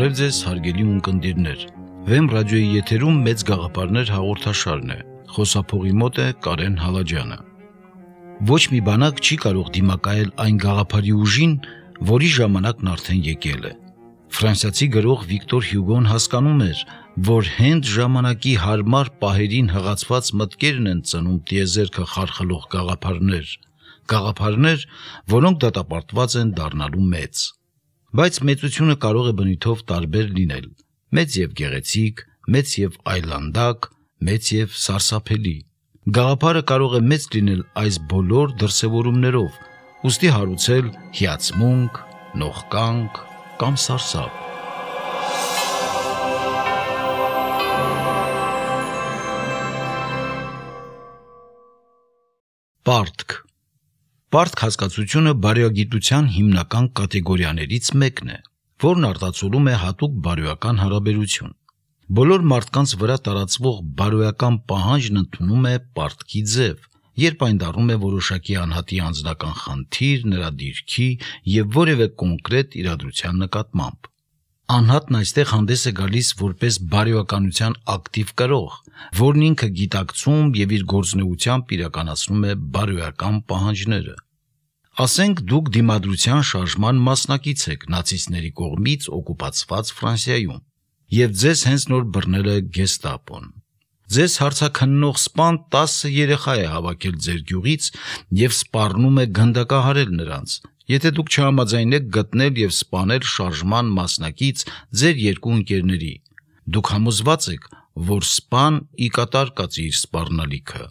Բարև ձեզ, հարգելի ունկնդիրներ։ Վեմ ռադիոյի եթերում մեծ գաղափարներ հաղորդաշարն է։ Խոսափողի մոտ է Կարեն Հալաջյանը։ Ոչ մի բանակ չի կարող դիմակայել այն գաղափարի ուժին, որի ժամանակն արդեն եկել է։ Ֆրանսիացի գրող Վիկտոր Հյուգոն հասկանում էր, որ հենց ժամանակի հարմար պահերին հղացված մտքերն են ծնում տիեզերքը խարխլող գաղափարներ, որոնք դատապարտված են դառնալու մեծ։ Բայց մեծությունը կարող է բնույթով տարբեր լինել՝ մեծ եւ գեղեցիկ, մեծ եւ այլանդակ, մեծ եւ սարսափելի։ Գաղափարը կարող է մեծ լինել այս բոլոր դրսևորումներով, ուստի հարուցել հիացմունք, նողկանք կամ սարսափ։ Պարտք հասկացությունը բարոյագիտության հիմնական կատեգորիաներից մեկն է, որն արտացոլում է հատուկ բարոյական հարաբերություն։ Բոլոր մարդկանց վրա տարածվող բարոյական պահանջն ընդունում է պարտքի ձև, երբ այն դառնում է որոշակի անհատի անձնական խնդիր, նրա դիրքի եւ որևէ կոնկրետ իրադրության նկատմամբ։ Անհատն այստեղ հանդես է գալիս որպես բարոյականության ակտիվ կրող, որն ինքը գիտակցում եւ իր գործունեությամբ իրականացնում է բարոյական պահանջները։ Ասենք դուք դիմադրության շարժման մասնակից եք նացիստների կողմից օկուպացված Ֆրանսիայում, եւ ձեզ հենց նոր բռնել է գեստապոն։ Ձեզ հարցաքննող սպան 10 երեխա է հավաքել ձեր գյուղից եւ սպառնում է գնդակահարել նրանց, եթե դուք չհամաձայնեք գտնել եւ սպանել շարժման մասնակից ձեր երկու ընկերների։ Դուք համոզված եք, որ սպան ի կատար կացի իր սպառնալիքը։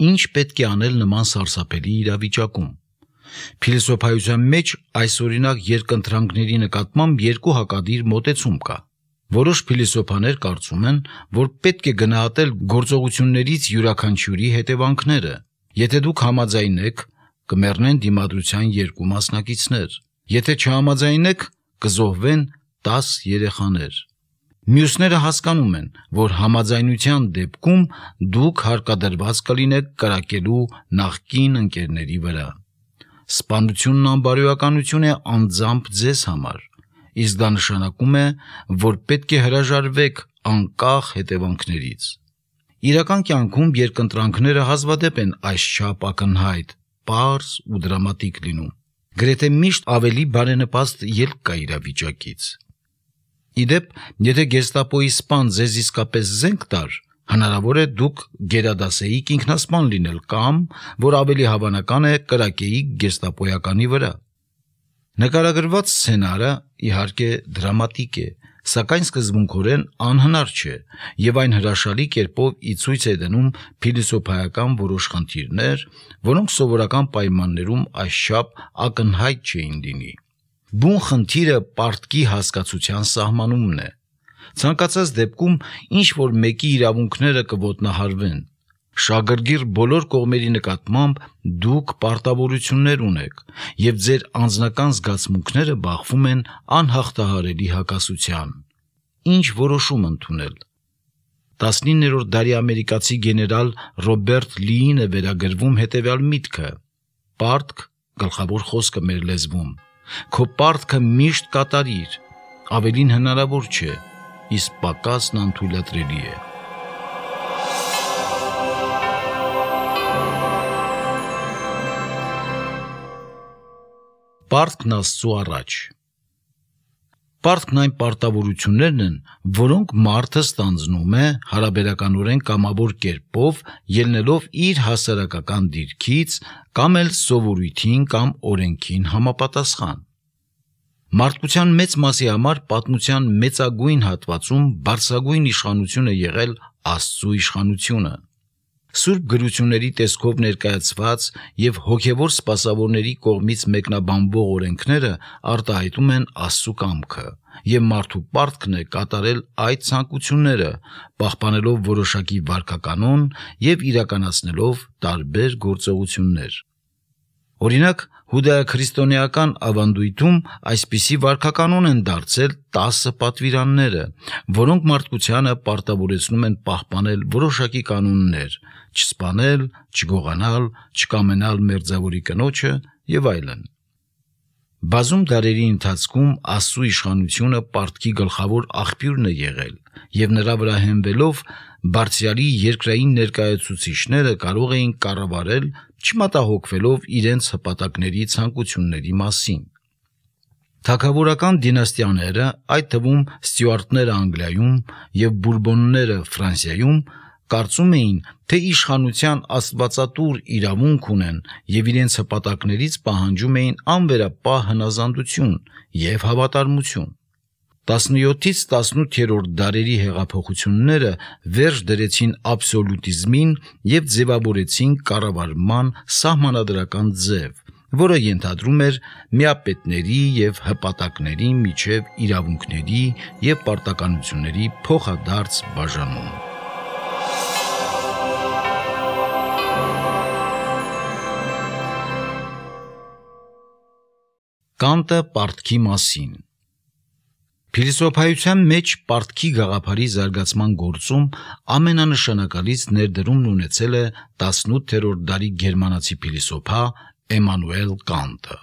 Ինչ պետք է անել նման սարսափելի իրավիճակում։ Փիլիսոփայության մեջ այսօրինակ երկընտրանքների նկատմամբ երկու հակադիր մոտեցում կա։ Որոշ փիլիսոփաներ կարծում են, որ պետք է գնահատել գործողություններից յուրաքանչյուրի հետևանքները։ Եթե դուք համաձայնեք, կմեռնեն դիմադրության երկու մասնակիցներ։ Եթե չհամաձայնեք, կզոհվեն 10 երեխաներ։ Մյուսները հասկանում են, որ համաձայնության դեպքում դուք հարկադրված կլինեք կրակելու նախկին ընկերների վրա։ Սպանությունն անբարոյականություն է անձամբ ձեզ համար, իսկ դա նշանակում է, որ պետք է հրաժարվեք անկախ հետևանքներից։ Իրական կյանքում երկընտրանքները հազվադեպ են այսչափ ակնհայտ, պարզ ու դրամատիկ լինում։ Գրեթե միշտ ավելի բարենպաստ ելք կա իրավիճակից։ Իդեպ, եթե գեստապոյի սպան ձեզ իսկապես զենք տար, հնարավոր է դուք գերադասեիք ինքնասպան լինել կամ, որ ավելի հավանական է, կրակեիք գեստապոյականի վրա։ Նկարագրված սցենարը իհարկե դրամատիկ է, սակայն սկզբունքորեն անհնար չէ, եւ այն հրաշալի կերպով ի ցույց է դնում փիլիսոփայական որոշ խնդիրներ, որոնք սովորական պայմաններում այսչափ ակնհայտ չէին լինի։ Բուն խնդիրը պարտքի հասկացության սահմանումն է։ Ցանկացած դեպքում ինչ որ մեկի իրավունքները կոտնահարվեն։ Շագրգիռ բոլոր կողմերի նկատմամբ դուք պարտավորություններ ունեք, եւ ձեր անձնական զգացմունքները բախվում են անհաղթահարելի հակասության։ Ինչ որոշում ընդունել։ 19-րդ դարի ամերիկացի գեներալ Ռոբերտ Լիին է վերագրվում հետևյալ միտքը. «Պարտք, գլխավոր խոսքը մեր լեզվում, քո պարտքը միշտ կատարիր, ավելին հնարավոր չէ, իսկ պակասն անթույլատրելի է»։ Պարտքն Աստծու առաջ։ Պարտքն այն պարտավորություններն են, որոնք մարդը ստանձնում է հարաբերականորեն կամավոր կերպով, ելնելով իր հասարակական դիրքից կամ էլ սովորույթին կամ օրենքին համապատասխան։ Մարդկության մեծ մասի համար պատմության մեծագույն հատվածում բարձրագույն իշխանություն է եղել Աստծու իշխանությունը։ Սուրբ գրությունների տեսքով ներկայացված եւ հոգեվոր սպասավորների կողմից մեկնաբանվող օրենքները արտահայտում են Աստծու կամքը, եւ մարդու պարտքն է կատարել այդ ցանկությունները, պահպանելով որոշակի վարքականոն եւ իրականացնելով տարբեր գործողություններ։ Օրինակ, հուդայաքրիստոնեական ավանդույթում այսպիսի վարքականոն են դարձել 10 պատվիրանները, որոնք մարդկությանը պարտավորեցնում են պահպանել որոշակի կանոններ՝ չսպանել, չգողանալ, չկամենալ մերձավորի կնոջը եւ այլն։ Բազում դարերի ընթացքում Աստծո իշխանությունը պարտքի գլխավոր աղբյուրն է եղել, եւ նրա վրա հենվելով Բարձրյալի երկրային ներկայացուցիչները կարող էին կառավարել, չմտահոգվելով իրենց հպատակների ցանկությունների մասին։ Թագավորական դինաստիաները, այդ թվում Ստյուարտները Անգլիայում եւ Բուրբոնները Ֆրանսիայում, կարծում էին, թե իշխանության աստվածատուր իրավունք ունեն եւ իրենց հպատակներից պահանջում էին անվերապահ հնազանդություն եւ հավատարմություն։ 17-ից 18-րդ դարերի հեղափոխությունները վերջ դրեցին աբսոլյուտիզմին եւ ձևավորեցին կառավարման սահմանադրական ձև, որը ենթադրում էր միապետների եւ հպատակների միջև իրավունքների եւ պարտականությունների փոխադարձ բաժանում։ Կանտը պարտքի մասին։ Փիլիսոփայության մեջ պարտքի գաղափարի զարգացման գործում ամենանշանակալից ներդրումն ունեցել է 18-րդ դարի գերմանացի փիլիսոփա Էմանուել Կանտը։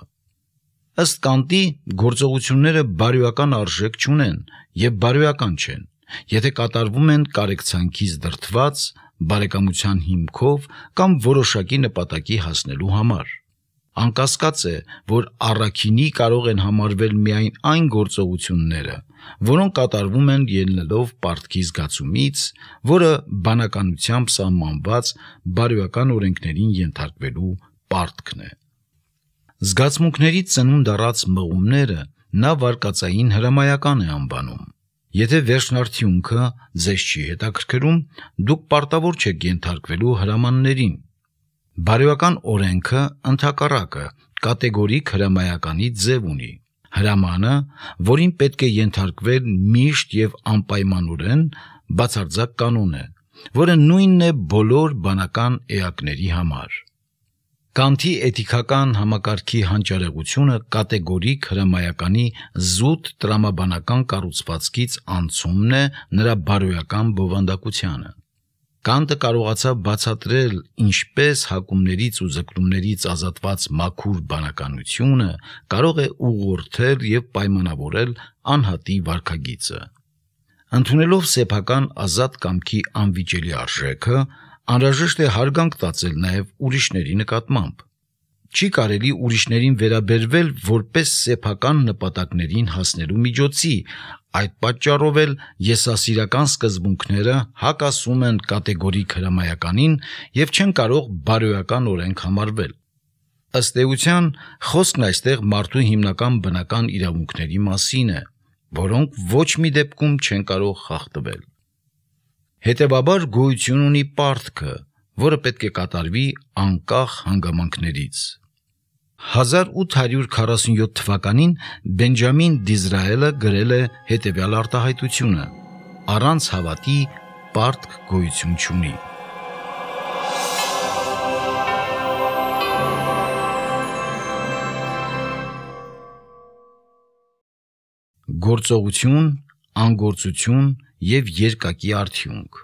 Ըստ Կանտի, գործողությունները բարոյական արժեք չունեն եւ բարոյական չեն, եթե կատարվում են կարեկցանքից դրդված, բարեկամության հիմքով կամ որոշակի նպատակի հասնելու համար։ Անկասկած է, որ առաքինի կարող են համարվել միայն այն գործողությունները, որոնք կատարվում են ելնելով պարտքի զգացումից, որը բանականությամբ սահմանված բարոյական օրենքներին ենթարկվելու պարտքն է։ Զգացմունքներից ծնունդ առած մղումները նա վարկածային հրամայական է անվանում։ Եթե վերջնարդյունքը ձեզ չի հետաքրքրում, դուք պարտավոր չեք ենթարկվելու հրամաններին։ Բարոյական օրենքը ընդհակառակը կատեգորիկ հրամայականի ձև ունի։ Հրամանը, որին պետք է ենթարկվել միշտ եւ անպայմանորեն, բացարձակ կանոն է, որը նույնն է բոլոր բանական էակների համար։ Կանտի էթիկական համակարգի հանճարեղությունը կատեգորիկ հրամայականի զուտ տրամաբանական կառուցվածքից անցումն է նրա բարոյական բովանդակությանը։ Կանտը կարողացավ բացատրել, ինչպես հակումներից ու ձգտումներից ազատված մաքուր բանականությունը կարող է ուղղորդել եւ պայմանավորել անհատի վարքագիծը։ Ընդունելով սեփական ազատ կամքի անվիճելի արժեքը, անհրաժեշտ է հարգանք տածել նաեւ ուրիշների նկատմամբ։ Չի կարելի ուրիշներին վերաբերվել որպես սեփական նպատակներին հասնելու միջոցի, այդ պատճառով էլ եսասիրական սկզբունքները հակասում են կատեգորիկ հրամայականին եւ չեն կարող բարոյական օրենք համարվել։ Ըստ էության, խոսքն այստեղ մարդու հիմնական բնական իրավունքների մասին է, որոնք ոչ մի դեպքում չեն կարող խախտվել։ Հետևաբար գոյություն ունի պարտքը, որը պետք է կատարվի անկախ հանգամանքներից։ 1847 թվականին Բենջամին Դիզրայելը գրել է հետևյալ արտահայտությունը. առանց հավատի պարտք գոյություն չունի։ Գործողություն, անգործություն եւ երկակի արդյունք։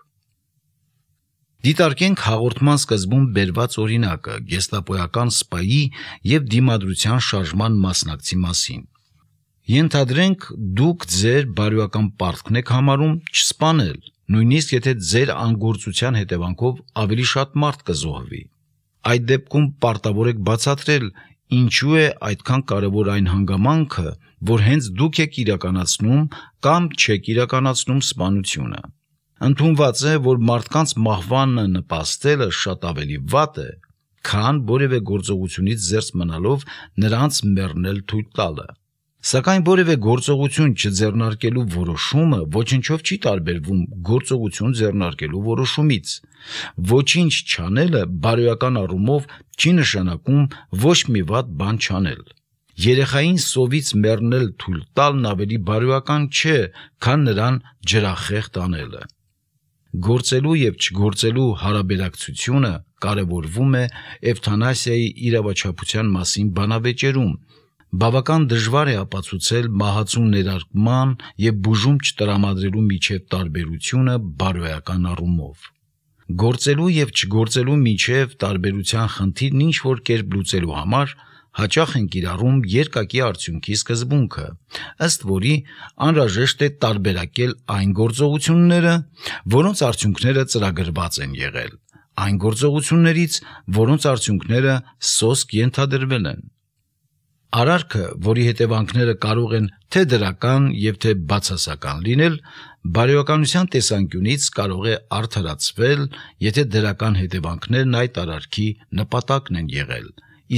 Դիտարկենք հաղորդման սկզբում բերված օրինակը գեստապոյական սպայի եւ դիմադրության շարժման մասնակցի մասին։ Ենթադրենք, դուք ձեր բարոյական պարտքն եք համարում չսպանել, նույնիսկ եթե ձեր անգործության հետևանքով ավելի շատ մարդ կզոհվի։ Այդ դեպքում պարտավոր եք բացատրել, ինչու է այդքան կարևոր այն հանգամանքը, որ հենց դուք եք իրականացնում կամ չեք իրականացնում սպանությունը։ Ընդունված է, որ մարդկանց մահվանը նպաստելը շատ ավելի վատ է, քան որևէ գործողությունից զերծ մնալով նրանց մեռնել թույլ տալը։ Սակայն որևէ գործողություն չձեռնարկելու որոշումը ոչնչով չի տարբերվում գործողություն ձեռնարկելու որոշումից։ Ոչինչ չանելը բարոյական առումով չի նշանակում ոչ մի վատ բան չանել։ Երեխային սովից մեռնել թույլ տալն ավելի բարոյական չէ, քան նրան ջրախեղտ անելը։ Գործելու եւ չգործելու հարաբերակցությունը կարևորվում է էվթանասիայի իրավաչափության մասին բանավեճերում։ Բավական դժվար է ապացուցել մահացու ներարկման եւ բուժում չտրամադրելու միջև տարբերությունը բարոյական առումով։ Գործելու եւ չգործելու միջև տարբերության խնդիրն ինչ որ կերպ լուծելու համար հաճախ են կիրառում երկակի արդյունքի սկզբունքը, ըստ որի անհրաժեշտ է տարբերակել այն գործողությունները, որոնց արդյունքները ծրագրված են եղել, այն գործողություններից, որոնց արդյունքները սոսկ ենթադրվել են։ Արարքը, որի հետևանքները կարող են թե դրական եւ թե բացասական լինել, բարոյականության տեսանկյունից կարող է արդարացվել, եթե դրական հետևանքներն այդ արարքի նպատակն են եղել,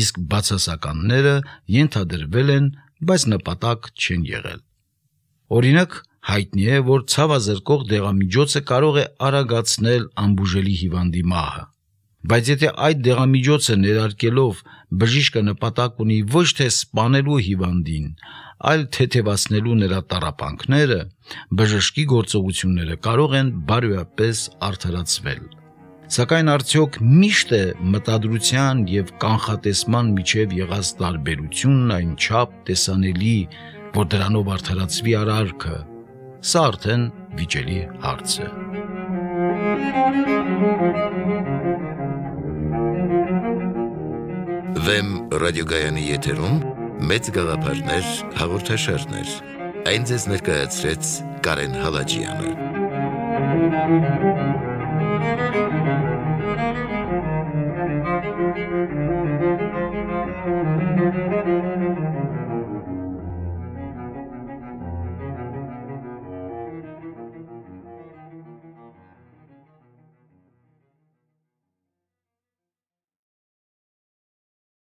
իսկ բացասականները ենթադրվել են, բայց նպատակ չեն եղել։ Օրինակ, հայտնի է, որ ցավազրկող դեղամիջոցը կարող է արագացնել անբուժելի հիվանդի մահը, բայց եթե այդ դեղամիջոցը ներարկելով բժիշկը նպատակ ունի ոչ թե սպանելու հիվանդին, այլ թեթևացնելու նրա տառապանքները, բժշկի գործողությունները կարող են բարոյապես արդարացվել։ Սակայն արդյոք միշտ է մտադրության եւ կանխատեսման միջև եղած տարբերությունն այնչափ տեսանելի, որ դրանով արդարացվի արարքը, սա արդեն վիճելի հարց է։ Վեմ ռադիոգայանի եթերում մեծ գաղափարներ հաղորդաշարներ։ Այն ձեզ ներկայացրեց Կարեն Հալաջյանը։